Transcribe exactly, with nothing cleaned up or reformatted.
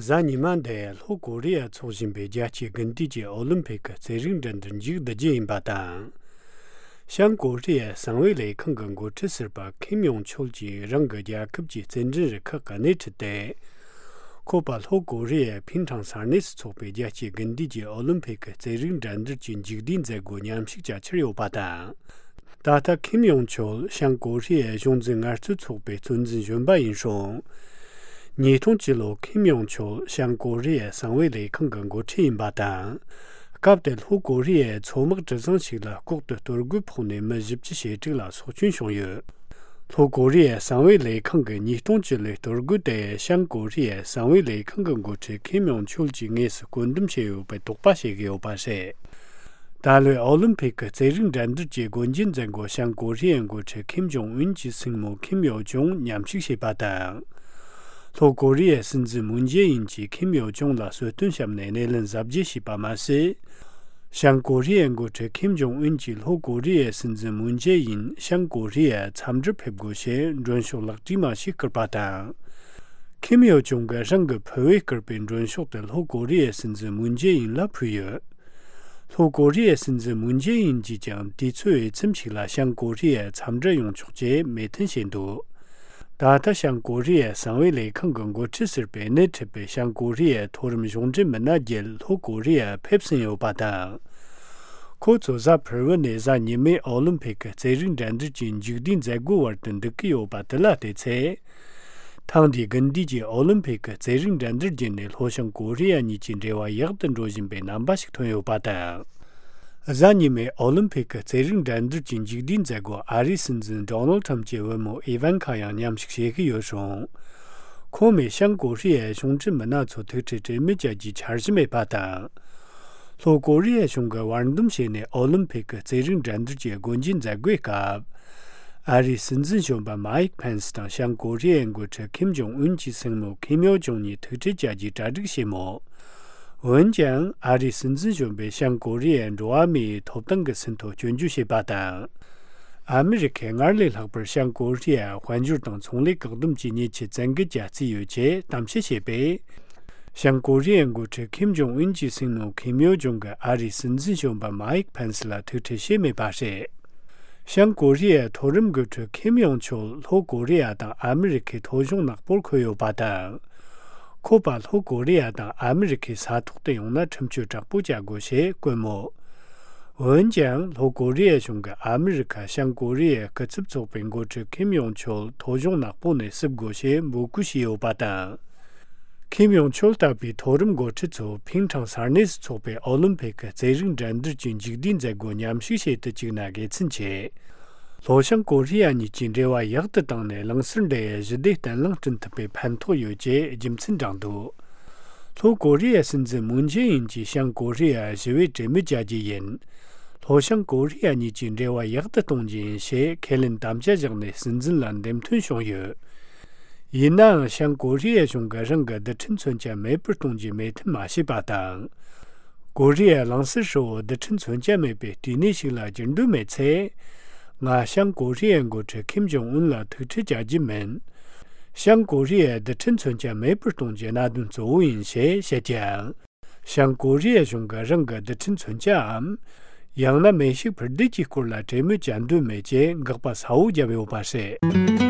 གཟའ་ཉི་མ་འདི་ལྷོ་ཀོ་རི་ཡར་འཚོགས་བཞིན་པའི་རྒྱལ་སྤྱིའི་དགུན་དུས་ཀྱི་ཨོ་ལིམ་ཕིག་གི་རྩེད་རིགས་འགྲན་བསྡུར་མཇུག་བསྡུ་རྒྱུ་ཡིན་པ་དང་། བྱང་ཀོ་རི་ཡའི་གསང་བའི་ལས་ཁང་གི་འགོ་ཁྲིད་ཟུར་པ་ཁིམ་ཡོང་ཆོལ་གྱིས་རང་གི་རྒྱལ་ཁབ་ཀྱི་རྩེད་འགྲན་རུ་ཁག་གི་སྣེ་ཁྲིད་དེ། ཁོ་པ་ལྷོ་ཀོ་རི་ཡའི་ཕིན་ཁྲང་ས་གནས་སུ་འཚོགས་པའི་རྒྱལ་སྤྱིའི་དགུན་དུས་ཀྱི་ཨོ་ལིམ་ཕིག་གི་རྩེད་རིགས་འགྲན་བསྡུར་གྱི་མཇུག་བསྡུའི་མཛད་སྒོ་མཉམ་ཞུགས་བྱ་འཆར་ཡོད་པ་དང་། ད་ལྟ་ཁིམ་ཡོང་ཆོལ་བྱང་ཀོ་རི་ཡའི་གཞུང་འཛིན་ངལ་རྩོལ་ཚོགས་པའི་གཙོ་འཛིན་གཞོན་པ་ཡིན་ཞིང་། ཉིས་སྟོང་བཅུ་ལོར་ཁིམ་ཡོང་ཆོལ་བྱང་ཀོ་རི་ཡའི་གསང་བའི་ལས་ཁང་གི་འགོ་ཁྲིད་ཡིན་པ་དང་། སྐབས་དེར་ལྷོ་ཀོ་རི་ཡའི་མཚོ་དམག་གྲུ་གཟིངས་ཤིག་ལ་ལྐོག་ཏུ་གཏོར་རྒོལ་ཕོག་ནས་མི་བཞི་བཅུ་ཞེ་དྲུག་ལ་སྲོག་སྐྱོན་བྱུང་ཡོད། ལྷོ་ཀོ་རི་ཡའི་གསང་བའི་ལས་ཁང་གི་ཉིས་སྟོང་བཅུ་ལོའི་གཏོར་རྒོལ་དེ་བྱང་ཀོ་རི་ཡའི་གསང་བའི་ལས་ཁང་གི་འགོ་ཁྲིད་ཁིམ་ཡོང་ཆོལ་གྱིས་དངོས་སུ་བཀོད་འདོམས་བྱས་ཡོད་པའི་དོགས་པ་བྱེད་ཀྱི་ཡོད་པ་རེད། ད་ལོའི་ཨོ་ལིམ་ཕིག་གི་རྩེད་རིགས་འགྲན་བསྡུར་གྱི་སྒོ་འབྱེད་མཛད་སྒོ་བྱང་ཀོ་རི་ཡའི་འགོ་ཁྲིད་ཁིམ་ཇོང་ཨུན་གྱི་སྲིང་མོ་ཁིམ་ཡོ་ཇོང་མཉམ་ཞུགས་བྱས་པ་དང་། ལྷོ་ཀོ་རི་ཡའི་སྲིད་འཛིན་མུན་ཇེ་ཨིན་གྱིས་ཁིམ་ཡོ་ཇོང་ལ་གསོལ་སྟོན་བཤམས་ནས་སྣེ་ལེན་གཟབ་རྒྱས་བྱས་པ་མ་ཟད། བྱང་ཀོ་རི་ཡའི་འགོ་ཁྲིད་ཁིམ་ཇོང་ཨུན་གྱིས་ལྷོ་ཀོ་རི་ཡའི་སྲིད་འཛིན་མུན་ཇེ་ཨིན་བྱང་ཀོ་རི་ཡར་འཚམས་འདྲིར་ཕེབས་དགོས་ཞེས་མགྲོན་ཤོག་ལག་བྲིས་མ་ཞིག་བསྐུར་པ་དང་། ཁིམ་ཡོ་ཇོང་གིས་རང་གི་ཕུ་བོས་བསྐུར་པའི་མགྲོན་ཤོག་དེ་ལྷོ་ཀོ་རི་ཡའི་སྲིད་འཛིན་མུན་ཇེ་ཨིན་ལ་ཕུལ་ཡོད། ལྷོ་ཀོ་རི་ཡའི་སྲིད་འཛིན་མུན་ཇེ་ཨིན་གྱིས་ཀྱང་དུས་ཚོད་འོས་འཚམ་ཞིག་ལ་བྱང་ཀོ་རི་ཡར་འཚམས་འདྲིར་ཡོང་ཆོག་ཅེས་མོས་མཐུན་བྱས་འདུག་ད་ལྟ་བྱང་ཀོ་རི་ཡའི་གསང་བའི་ལས་ཁང་གི་འགོ་ཁྲིད་ཟུར་པས་སྣེ་ཁྲིད་པའི་བྱང་ཀོ་རི་ཡའི་མཐོ་རིམ་གཞུང་འབྲེལ་མི་སྣ་བརྒྱད་ལྷོ་ཀོ་རི་ཡར་ཕེབས་ཟིན་ཡོད་པ་དང་། ཁོ་ཚོ་གཟའ་ཕུར་བུ་ནས་གཟའ་ཉི་མའི་ཨོ་ལིམ་ཕིག་གི་རྩེད་རིགས་འགྲན་བསྡུར་གྱི་མཇུག་བསྡུའི་མཛད་སྒོའི་བར་དུ་འདུག་གི་ཡོད་པ་དེ་ལ་བལྟས་ཚེ། ཐེངས་འདིའི་དགུན་དུས་ཀྱི་ཨོ་ལིམ་ཕིག་གི་རྩེད་རིགས་འགྲན་བསྡུར་བརྒྱུད་ནས་ལྷོ་བྱང་ཀོ་རི་ཡ་གཉིས་ཀྱི་འབྲེལ་བ་ཡག་ཏུ་འགྲོ་བཞིན་པའི་རྣམ་པ་ཞིག་ཐོན་ཡོད་པ་དང་། གཟའ་ཉི་མའི་ཨོ་ལིམ་ཕིག་གི་རྩེད་རིགས་འགྲན་བསྡུར་གྱི་མཇུག་བསྡུའི་མཛད་སྒོར་ཨ་རིའི་སྲིད་འཛིན་ཌོ་ནལ་ཁྲམ་གྱི་བུ་མོ་ཨི་ཝན་ཁ་ཡང་མཉམ་ཞུགས་བྱེད་ཀྱི་ཡོད་རུང་། ཁོང་མོས་བྱང་ཀོ་རི་ཡའི་གཞུང་འབྲེལ་མི་སྣ་ཚོ་ཐུག་འཕྲད་གྲོས་མོལ་བྱ་རྒྱུའི་འཆར་གཞི་མེད་པ་དང་། ལྷོ་ཀོ་རི་ཡའི་གཞུང་གིས་བར་འདུམ་བྱས་ནས་ཨོ་ལིམ་ཕིག་གི་རྩེད་རིགས་འགྲན་བསྡུར་གྱི་སྒོ་འབྱེད་མཛད་སྒོའི་སྐབས། ཨ་རིའི་སྲིད་འཛིན་གཞོན་པ་མཱིག་ཕེན་སི་དང་བྱང་ཀོ་རི་ཡའི་འགོ་ཁྲིད་ཁིམ་ཇོང་ཨུན་གྱི་སྲིང་མོ་ཁིམ་ཡོ་ཇོང་གཉིས་ཐུག་འཕྲད་བྱ་རྒྱུའི་གྲ་སྒྲིག་བྱས་མོད། འོན་ཀྱང་ཨ་རིའི་སྲིད་འཛིན་གཞོན་པས་བྱང་ཀོ་རི་ཡའི་འགྲོ་བ་མིའི་ཐོབ་ཐང་གི་ཟིན་ཐོ་སྐྱོན་བརྗོད་བྱས་པ་དང་། ཨ་མི་རི་ཁས་སྔར་ལས་ལྷག་པར་བྱང་ཀོ་རི་ཡར་དཔལ་འབྱོར་དང་ཚོང་ལས་བཀག་སྡོམ་གྱི་ཉེས་ཆད་བཙན་འགེལ་བྱ་རྩིས་ཡོད་ཅེས་གཏམ་བཤད་བྱས་པས། བྱང་ཀོ་རི་ཡའི་འགོ་ཁྲིད་ཁིམ་ཇོང་ཨུན་གྱི་སྲིང་མོ་ཁིམ་ཡོ་ཇོང་གིས་ཨ་རིའི་སྲིད་འཛིན་གཞོན་པ་མཱིག་ཕེན་སི་ལ་ཐུག་འཕྲད་བྱས་མེད་པ་རེད། བྱང་ཀོ་རི་ཡའི་མཐོ་རིམ་འགོ་ཁྲིད་ཁིམ་ཡོང་ཆོལ་ལྷོ་ཀོ་རི་ཡ་དང་ཨ་མི་རི་ཁའི་ཐོ་གཞུང་ནག་པོར་འཁོད་ཡོད་པ་དང་། ཁོ་པ་ལྷོ་ཀོ་རི་ཡ་དང་ཨ་མི་རི་ཁའི་ས་ཐོག་ཏུ་ཡོང་ན་ཁྲིམས་གཅོད་དྲག་པོ་བྱ་དགོས་ཞེས་བཀོད་མོད། འོན་ཀྱང་ལྷོ་ཀོ་རི་ཡའི་གཞུང་གིས་ཨ་མི་རི་ཁ་བྱང་ཀོ་རི་ཡའི་སྐུ་ཚབ་ཚོགས་པའི་འགོ་ཁྲིད་ཁིམ་ཡོང་ཆོལ་ཐོ་གཞུང་ནག་པོ་ནས་བསུབ་དགོས་ཞེས་འབོད་སྐུལ་བྱས་ཡོད་པ་དང་། ཁིམ་ཡོང་ཆོལ་ལྟ་བུའི་མཐོ་རིམ་འགོ་ཁྲིད་ཚོ་ཕིང་ཁྲང་ས་གནས་སུ་འཚོགས་པའི་ཨོ་ལིམ་ཕིག་གི་རྩེད་རིགས་འགྲན་བསྡུར་གྱི་མཇུག་བསྡུའི་མཛད་སྒོར་མཉམ་ཞུགས་བྱེད་དུ་བཅུག་ན་དགེ་མཚན་ཆེ། ལྷོ་བྱང་ཀོ་རི་ཡ་གཉིས་ཀྱི་འབྲེལ་བ་ཡག་ཏུ་བཏང་ནས་གླིང་ཟུར་འབྲེལ་ཡའི་ཞི་བདེ་བརྟན་ལྷིང་བསྐྲུན་ཐུབ་པའི་ཕན་ཐོགས་ཡོད་ཅེས་རྒྱུ་མཚན་བགྲངས་འདུག་ལྷོ་ཀོ་རི་ཡའི་སྲིད་འཛིན་མུན་ཇེ་ཨིན་གྱིས་བྱང་ཀོ་རི་ཡར་ཞི་བའི་གྲོས་མོལ་བྱ་རྒྱུ་ཡིན། ལྷོ་བྱང་ཀོ་རི་ཡ་གཉིས་ཀྱི་འབྲེལ་བ་ཡག་ཏུ་གཏོང་རྒྱུ་ཡིན་ཞེས་ཁས་ལེན་དམ་བཅའ་བཞག་ནས་སྲིད་འཛིན་ལ་འདེམས་ཐོན་བྱུང་ཡོད། ཡིན་ནའང་བྱང་ཀོ་རི་ཡའི་གཞུང་གིས་རང་གི་རྡུལ་ཕྲན་མཚོན་ཆ་མེད་པར་གཏོང་རྒྱུའི་མོས་མཐུན་མ་བྱས་པ་དང་། ཀོ་རི་ཡ་གླིང་ཟུར་ཧྲིལ་བོ་རྡུལ་ཕྲན་མཚོན་ཆ་མེད་པའི་བལྟས་གནས་ཤིག་ལ་འགྱུར་འདོད་མེད་ཚེ། ང་བྱང་ཀོ་རི་ཡའི་འགོ་ཁྲིད་ཁིམ་ཇོང་ཨུན་ལ་ཐུག་འཕྲད་བྱ་རྒྱུ་མིན། བྱང་ཀོ་རི་ཡའི་རྡུལ་ཕྲན་མཚོན་ཆ་མེད་པར་གཏོང་རྒྱུའི་གནད་དོན་གཙོ་བོ་ཡིན་ཞེས་བཤད་ཀྱང་། བྱང་ཀོ་རི་ཡའི་གཞུང་གིས་རང་གི་རྡུལ་ཕྲན་མཚོན་ཆའམ། ཡང་ན་མེ་ཤུགས་འཕུར་མདེལ་གྱི་སྐོར་ལ་གྲོས་མོལ་བྱ་འདོད་མེད་ཅེས་དགག་པ་གསལ་བོ་བརྒྱབ་ཡོད་པ་རེད།